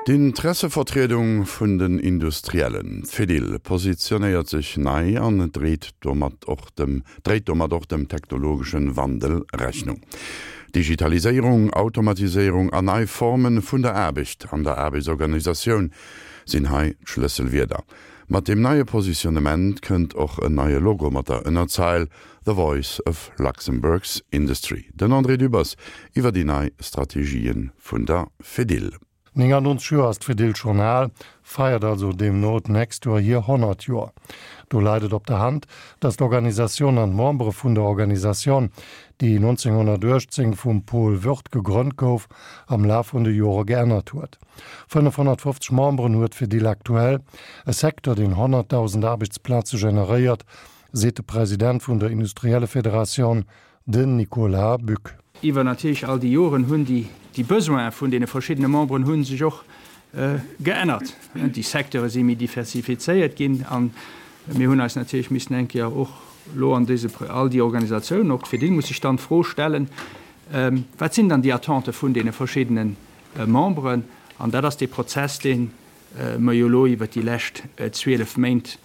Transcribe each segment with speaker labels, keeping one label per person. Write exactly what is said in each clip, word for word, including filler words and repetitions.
Speaker 1: D'Interessevertriedung vun den Industriellen, d'Fedil, positionéiert sech nei an dréit domat och dem dréit domat och dem technologeschen Wandel Rechnung. Digitaliséierung, Automatiséierung an nei Formen vun der Aarbecht an der Aarbechtsorganisatioun sinn hei d'Schlësselwierder. Mat deem neie Positionnement kënnt och en neie Logo mat der Ënnerzeil The Voice of Luxembourg's Industry. Den André Dübbers iwwer déi nei Strategien vun der Fedil.
Speaker 2: néngannonzeg Joer ass d'Fedil schonn al, feiert also deemno d'nächst Joer hir honnert Joer. Do läit et op der Hand, datt d'Organisatioun an d'Membere vun der Organisatioun, déi nonzénghonnertuechtzéng vum Paul Wirth gegrënnt gouf, am Laf vun de Jore geännert huet. fënnefhonnertfofzeg Memberen huet d'Fedil aktuell, e Secteur, deen honnertdausend Aarbechtsplaze generéiert, seet de President vun der Industriellefederatioun, Den Nicolas Buck.
Speaker 3: Iwwer natierlech all déi Joren hunn déi déi Besoine vun deene verschiddene Memberen hu sech och geännert. Déi Secteure si méi diversifizéiert ginn a mir hunn eis natierlech missen eng Kéier och elo an dese all déi Organisatiounen, och d'Fedil muss sech dann d'Fro stellen, Wat sinn dann déi Attente vun deene verschiddene Memberen? An dat ass dee Prozess, dee mer jo elo iwwert déi lescht zwielef Méint,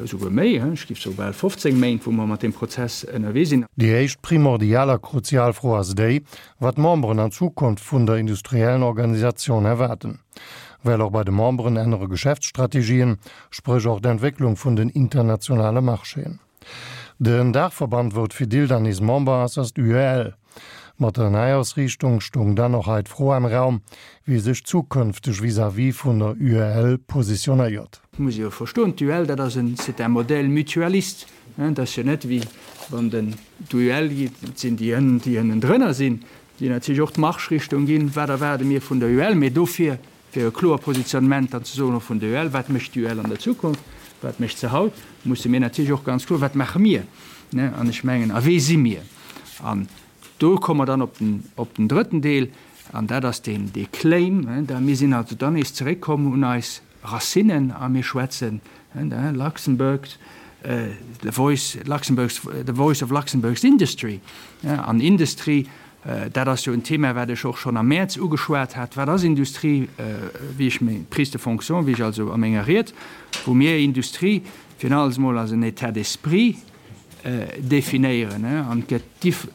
Speaker 3: esouguer méi, ech géif soe bal fofzéng Méint, wou mer mat deem Prozess ënnerwee sinn.
Speaker 2: Déi éischt primordial a kruzial Fro ass déi, wat d'Memberen an Zukunft vun der industriellen Organisatioun erwaarden. Well och bei de Memberen ännere Geschäftsstrategien, spréch och d'Entwécklung vun den internationale Marchéen. Den Daachverband, wou d'Fedil dann nees Member ass, ass d'UEL. Mat der Neiausriichtung stoung dann och hei d'Fro am Raum, wie sech zukünfteg vis-à-vis vun der U E L positionéiert.
Speaker 3: Et muss ee jo verstoen, d'U E L, dat ass en, c'est un modèle mutualiste. Et ass jo net wéi wann den, d'U E L, et sinn déi ënnen, déi ënnendrënner sinn, déi natierlech och d'Marschrichtung ginn, wat erwaarde mir vun der U E L. Mee dofir, fir e kloer Positionnement dann ze soen och vun der U E L, wat mécht d'U E L an der Zukunft, wat mécht se haut, musse mir natierlech och ganz kloer, wat maache mir, an ech mengen, a wee si mir? An do komme mer dann op den, op den drëtten Deel, an dat ass deen, dee Claim. Da mir sinn also dann nees zeréckkomm un eis Racinen a mir schwätzen, Luxembourg, the voice, Luxembourg's, the voice of Luxembourg's industry. An Industrie, dat ass jo en Thema, wat ech och schonn am Mäerz ugeschwat hat. Wat ass Industrie? Wéi ech meng Prise de fonction, wéi ech also a menger Ried, wou mir Industrie virun alles emol als en État d'esprit definéieren. An et gëtt,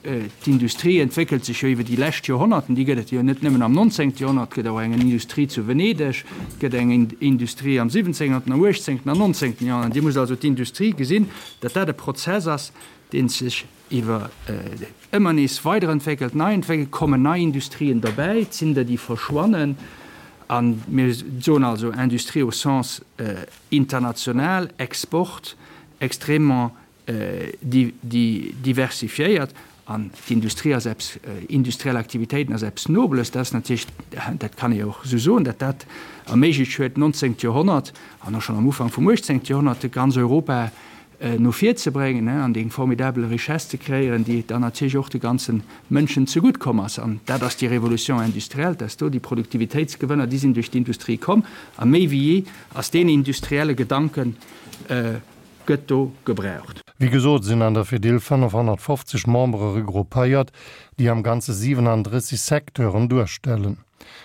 Speaker 3: d'Industrie entwéckelt sech jo iwwer déi lescht Joerhonnerten, déi gëtt et jo net nëmmen am nonzéngte Joerhonnert, et gëtt och eng Industrie zu Venedeg, et gëtt eng Industrie am siwwenzéngten, am uechtzéngten an nonzéngten Joerhonnert. Dir musst also d'Industrie gesinn, datt dat e Prozess ass, dee sech iwwer ëmmer nees weiderentwéckelt, nei entwéckelt, kommen nei Industrien derbäi, et sinn der, déi verschwannen. A mir soen also Industrie au sens international, Export, extrêmement diversifiéiert. An d'Industrie ass eppes, industriell Aktivitéiten ass eppes Nobles. Dat ass natierlech, dat kann ee och esou soen, datt dat erméiglecht huet, nonzéngt Joerhonnert an och schonn am Ufank vum uechtzéngte Joerhonnert ganz Europa no vir ze bréngen an déi formidabel Richesse ze kreéieren, déi dann natierlech och de ganze Mënschen zegutt komm ass. An dat ass déi Révolution industrielle, dass do déi Produktivitéitsgewënner, déi sinn duerch d'Industrie komm. A méi wéi jee ass deen industrielle Gedanken gëtt do gebraucht.
Speaker 2: Wéi gesot sinn an der Fedil fënnefhonnertfofzeg Membere regroupéiert, déi am Ganze siwenandrësseg Secteuren duerstellen.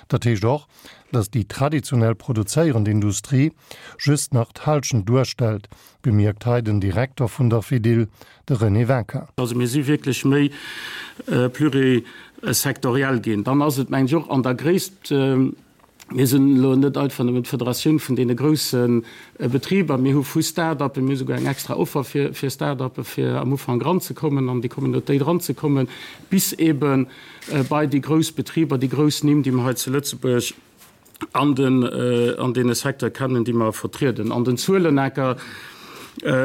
Speaker 2: Dat heescht och, datt déi traditionell produzéierend Industrie just nach d'Hallschent duerstellt, bemierkt hei den Direkter vun der Fedil, de René Winkin.
Speaker 4: Also mir si wierklech méi plurisectoriel ginn. Dann ass et, mengen ech, och an der Gréisst, mir sinn elo net einfach nëmmen d'Federatioun vun deene grousse Betriber, mir hu vu Start-uppen, mir hu souguer eng extra Offer fir Start-uppe fir am Ufank eranzekommen, an déi Communautéit eranzekommen, bis eebe bei déi grouss Betriber, déi grouss Nimm, déi mer hei zu Lëtzebuerg an den, an deene Secteur kennen, déi mer vertrieden. An den Zuelenecker,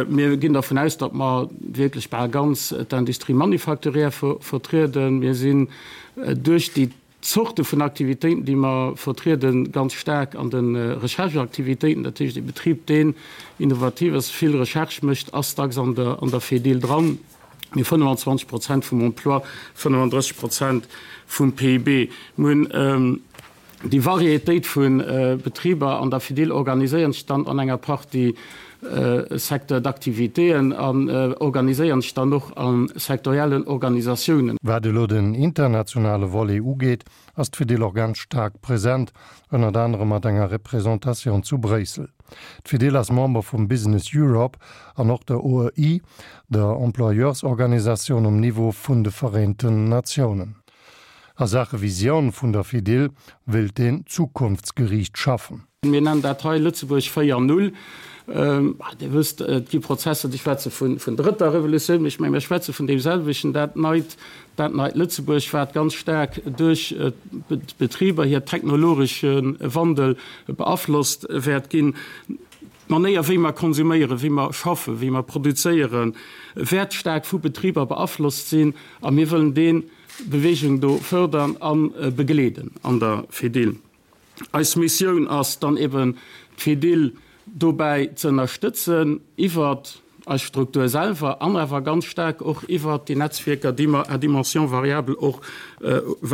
Speaker 4: mir ginn dervun aus, datt mer wierklech bal ganz d'Industrie manufacturière vertrieden. Mir sinn duerch déi Zorte vun Aktivitéiten, déi mer vertrieden, ganz staark an de Rechercheaktivitéiten. Dat heescht, e Betrib, deen innovativ ass, vill Recherche mécht, ass dacks an der, an der Fedil dran. Mir hu fënnefenzwanzeg Prozent vum Emploi, fënnefendrësseg Prozent vum P I B. Mir hunn Déi Varietéit vu Betriber an der Fedil organiséieren sech dann an enger Partie Secteurs d'activitéen an organiséieren sech dann och a sektoriellen Organisatiounen.
Speaker 2: Wat elo den internationale Volet ugeet, ass d'Fedil och ganz staark present, ënnert anerem mat enger Representatioun zu Bréissel. D'Fedil ass Member vum Business Europe an och der O E I, der Employeursorganisatioun um Niveau vun de Vereenten Natiounen. A Saache Visioun vun der Fedil wëllt een zukunftsgeriicht schaffen.
Speaker 4: Mir nennen dat hei Lëtzebuerg véier Null. Dir wësst, et gi Prozesser, déi schwätze vun drëtter Revolutioun, mee ech mengen, mir schwätze vun deemselwechten, dat neit, dat neit Lëtzebuerg, wat ganz staark duerch d'Betriber hir technologesche Wandel beaflosst wäert ginn. D'Manéier, wéi mer konsuméieren, wéi mer schaffen, wéi mer produzéieren, wäert staark vu Betriber beaflosst sinn a mir wëllen déi Bewegung do fërdern a begleeden an der Fedil. Eis Missioun ass dann eben, d'Fedil dobäi ze ënnerstëtzen iwwert eis Struktur selwer an awer ganz staark och iwwert déi Netzwierker, déi mer à dimension variable och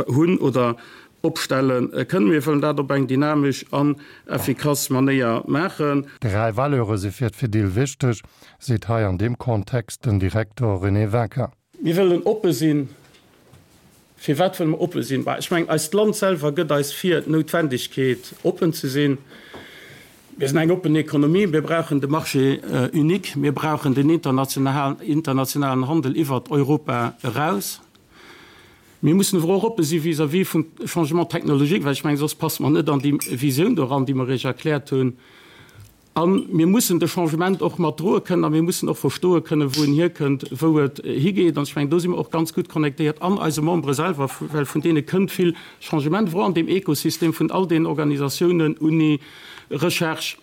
Speaker 4: hunn oder opstelle kënnen. Mir wëllen dat op eng dynamesch an effikass Manéier maachen.
Speaker 2: Dräi Valeure si fir d'Fedil wichteg, seet hei an deem Kontext den Direkter René Winkin.
Speaker 4: Mir wëllen oppe sinn. Firwat wëlle mer oppe sinn? Bah, ech mengen, eist Land selwer gëtt eis vir d'Noutwendegkeet, oppen ze sinn. Mir sinn eng oppen Ekonomie, mir brauchen de Marché unique, mir brauchen den internationalen Handel iwwert Europa eraus. Mir mussen awer och oppe si vis-à-vis vum Changement technologique, well ech mengen, soss passe mer net an déi Visioun do eran, déi mer Iech erkläert hunn. A mir mussen de Changement och mat droe kënnen a mir mussen och verstoe kënnen, wou en hierkënnt, wou et higeet. An ech mengen, do si mer och ganz gutt connectéiert an eise Membere selwer, well vun deene kënnt vill Changement, wou an deem Ekosystem vun all deenen Organisatiounen, Uni, Recherche,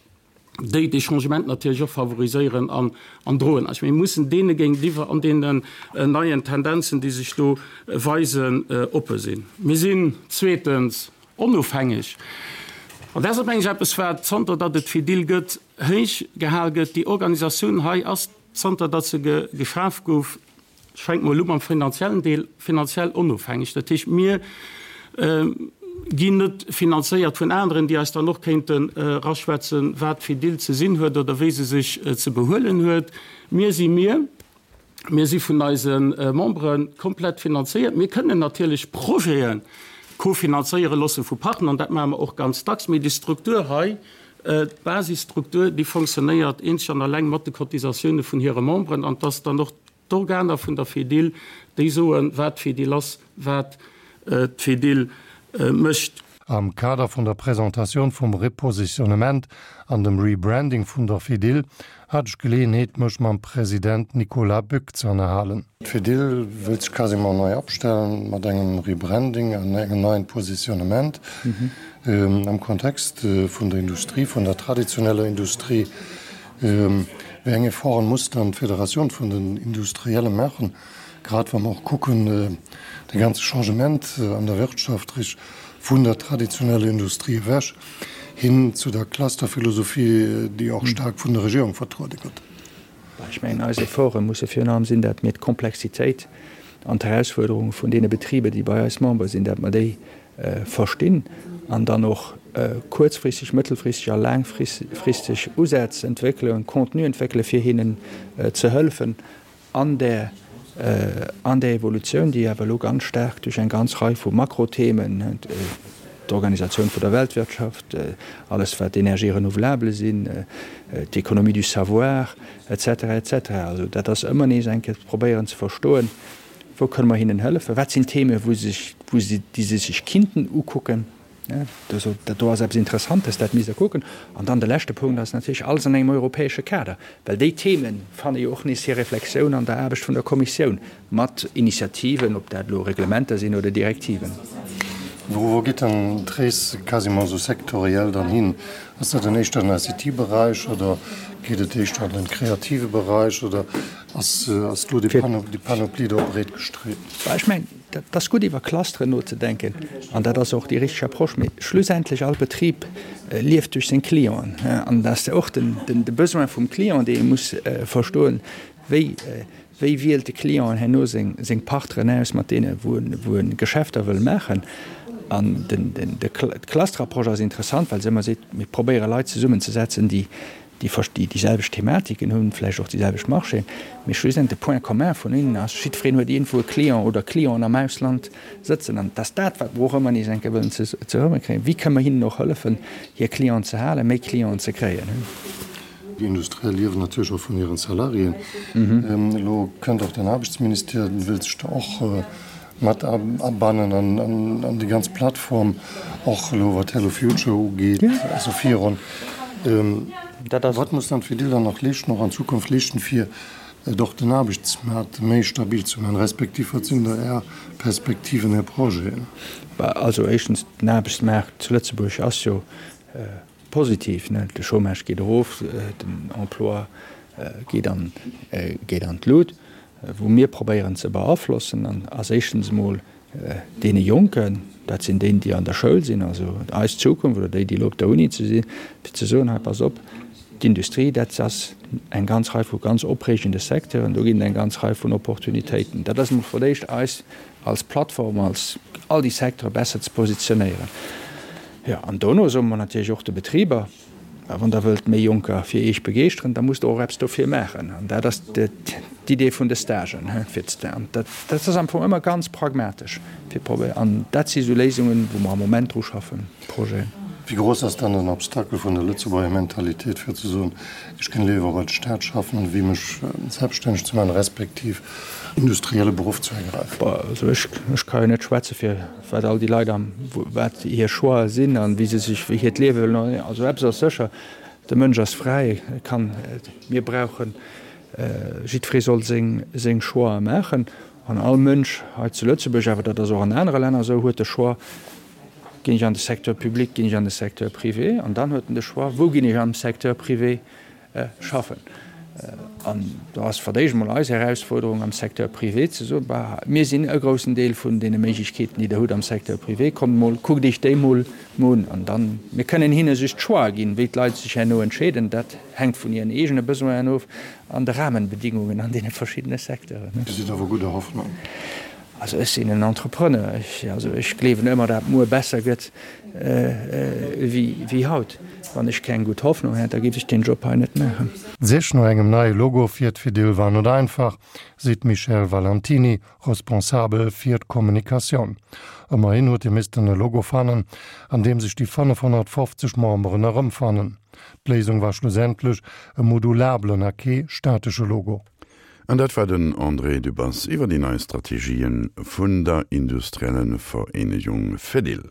Speaker 4: déi dee Changement natierlech och favoriséieren an an droen. Also mir mussen deene géintiwwer an deenen neien Tendenzen, déi sech do weisen, oppe sinn. Mir sinn zweetens onofhängeg. An dat ass, mengen ech, eppes, wat, zanter datt et d'Fedil gëtt, héich gehal gëtt. Déi Organisatioun hei ass, zanter datt se geschaf gouf, ech fänke mol u mam finanziellen Deel, finanziell onofhängeg. Dat heescht, mir ginn net finanzéiert vun aneren, déi eis dann och kéinten eraschwätzen, wat d'Fedil ze sinn huet oder wéi se sech ze behuelen huet. Mir si mir. Mir si vun eise Membere komplett finanzéiert. Mir kënnen natierlech Projete kofinanzéiere loosse vu Partner, an dat maache mer och ganz dacks. Mee déi Struktur hei, d'Basisstruktur, déi fonctionnéiert eenzeg an alleng mat de Cotisatioune vun hire Memberen. An et ass dann och d'Organer vun der Fedil, déi soen, wat d'Fedil ass, wat d'Fedil mécht.
Speaker 2: Am Kader vun der Presentatioun vum Repositionnement an dem Rebranding vun der Fedil hat ech Geleeënheet mech mam President Nicolas Bück ze ënnerhalen. D'Fedil wëllt sech quasiment nei opstellen mat engem Rebranding an engem neien Positionnement am Kontext vun der Industrie, vun der traditioneller Industrie. Wéi eng Efforten muss dann d'Federatioun vun den Industrielle maachen, grad wa mer och kucken de ganze Changement an der Wirtschaft vun der traditioneller Industrie ewech hin zu der Clusterphilosophie, déi och staark vun der Regierung vertruede gëtt?
Speaker 3: Ech mengen, eis Efforte musse virun allem sinn, datt mir d'Komplexitéit an d'Herausfuerderunge vun deene Betriber, déi bei eis Member sinn, datt mer déi verstinn an dann och kuerzfristeg, mëttelfristeg a laangfristeg Usätz entwéckelen, Contenu entwéckelen, fir hinnen ze hëllefen an där an där Evolutioun, déi awer elo ganz staark duerch eng ganz Rei vu Makrothemen, d'Organisatioun vun der Weltwirtschaft, alles wat Énergies renouvelables sinn, d'Économie du savoir, et cetera, et cetera. Also dat ass ëmmer nees eng Kéier probéieren ze verstoen, wou kënne mer hinnen hëllefen, wat sinn Themen, wou se sech, wou se, déi se sech kinnten ukucken. Dat do ass eppes Interessantes, dat misst Der kucken. An dann de leschte Punkt ass natierlech alles an engem europäesche Kader, well déi Theeme fanne jo och nees hir Reflexioun an der Aarbecht vun der Kommissioun mat Initiativen, ob dat elo Reglementer sinn oder Direktiven.
Speaker 2: Wou geet dann d'Rees quasiment esou sektoriell dann hin? Ass dat dann éischter den I C T-Beräich oder geet et éischter an den kreative Beräich oder ass do déi Panoplie do breet gestreet?
Speaker 3: Ech mengen, dat ass gutt iwwer Clusteren nozedenken an dat ass och déi richteg Approche. Mee schlussendlech, all Betrib lieft duerch seng Clienten an dat ass och de Besoin vum Client, dee ee muss verstoen, wéi wéi wielt de Client herno seng Partneren aus, mat deene wou en Geschäfter wëll maachen. An den, den, de d'Clusterapproche ass interessant, well se ëmmer seet, mir probéiere Leit zesummenzesetzen, déi déi déi déi selwecht Thematiken hunn, vläicht och déi selwecht Marchéen, mee schlussendlech de Point commun vun hinnen ass, jiddwereen huet iergendwou e Client oder Clienten am Ausland sëtzen. An et ass dat, wat mer och ëmmer nees eng Kéier wëllen zesummenkréien, Wéi kënnen mer hinnen och hëllefen, hir Clienten ze halen, méi Clienten ze kréien?
Speaker 2: Déi Industriell liewen natierlech och vun hiren Salariéen. Elo kënnt och den Aarbechtsministère, wëllt sech do och mat abannen an déi ganz Plattform, och elo wat Hello Future ugeet, also virun. Wat muss dann d'Fedil dann nach leeschten, och an Zukunft leeschten, fir och den Aarbechtsmaart méi stabil ze maachen, respektiv wat sinn da Är Perspektiven, Är Projeten?
Speaker 3: Also éischtens, den Aarbechtsmaart zu Lëtzebuerg ass jo positiv, de Chômage geet erof, den Emploi geet an geet an d'Lut. Wou mir probéieren ze beaflossen, ass éischtens emol deene Jonken, dat sinn déi, déi an der Schoul sinn, also eis Zukunft, oder déi, déi elo op der Uni ze sinn, fir ze soen, hei pass op, d'Industrie, dat ass eng ganz Rei vu ganz opreegende Secteuren, do ginn et eng ganz Rei vun Opportunitéiten. Dat ass emol fir d'éischt eis als Plattform, als all déi Secteure besser ze positionéieren. Jo, an dono soe mer natierlech och de Betriber, Wann Der wëllt méi Jonker fir Iech begeeschteren, da musst Der och eppes dofir maachen. An dat ass d'Idee vun de Stagen. An dat ass am Fong ëmmer ganz pragmatesch fir probéieren. An dat si sou Léisungen, wou mer am Moment dru schaffen, Projeten.
Speaker 2: Wéi grouss ass dann den Obstacle vun der Lëtzebuerger Mentalitéit, fir ze soen, ech géing léiwer bei de Staat schaffen, wéi mech selbststänneg ze maachen, respektiv industrielle Beruff ze ergräifen?
Speaker 3: Also ech, ech ka jo net schwätze fir wat all déi Leit am, wat hir Choixë sinn an wéi se sech, wéi hiert Liewe wëllen. Also eppes ass sécher, de Mënsch ass fräi, e kann, mir brauchen, jiddweree soll seng, seng Choixë maachen an all Mënsch hei zu Lëtzebuerg, awer dat ass och an anere Länner esou, huet de Choix, ginn ech an de Secteur public, ginn ech an de Secteur privé an dann huet en de Choix, wou ginn ech am Secteur privé schaffen. An do ass fir d'éischt emol eis Erausfuerderung am Secteur privé ze soen, bah, mir sinn e groussen Deel vun deene Méiglechkeeten, déi Der hutt am Secteur privé, kommt mol, kuckt Iech déi mol un. An dann, mir kënnen hinne just d'Choix ginn, wéi d'Leit sech herno entscheeden, dat hänkt vun hiren eegene Besoinen of an de Rahmenbedingungen an deene verschiddene Secteuren.
Speaker 2: Dir sidd awer gudder Hoffnung?
Speaker 3: Also ech sinn en Entrepreneur, ech, also ech gleewen ëmmer, dat muer besser gëtt wéi haut. Wann ech keng gutt Hoffnung hätt, da géif ech deen Job hei net maachen.
Speaker 2: D'Sich no engem neie Logo fir d'Fedil war net einfach, seet d'Michèle Valentiny, Responsabel fir d'Kommunikatioun. Ëmmerhin huet ee missten e Logo fannen, an deem sech déi fënnefhonnertfofzeg Memberen erëmfannen. D'Léisung war schlussendlech e modulabelen a kee statesche Logo.
Speaker 1: An dat war den André Dübbers iwwer déi nei Strategien vun der Industriellenvereenegung Fedil.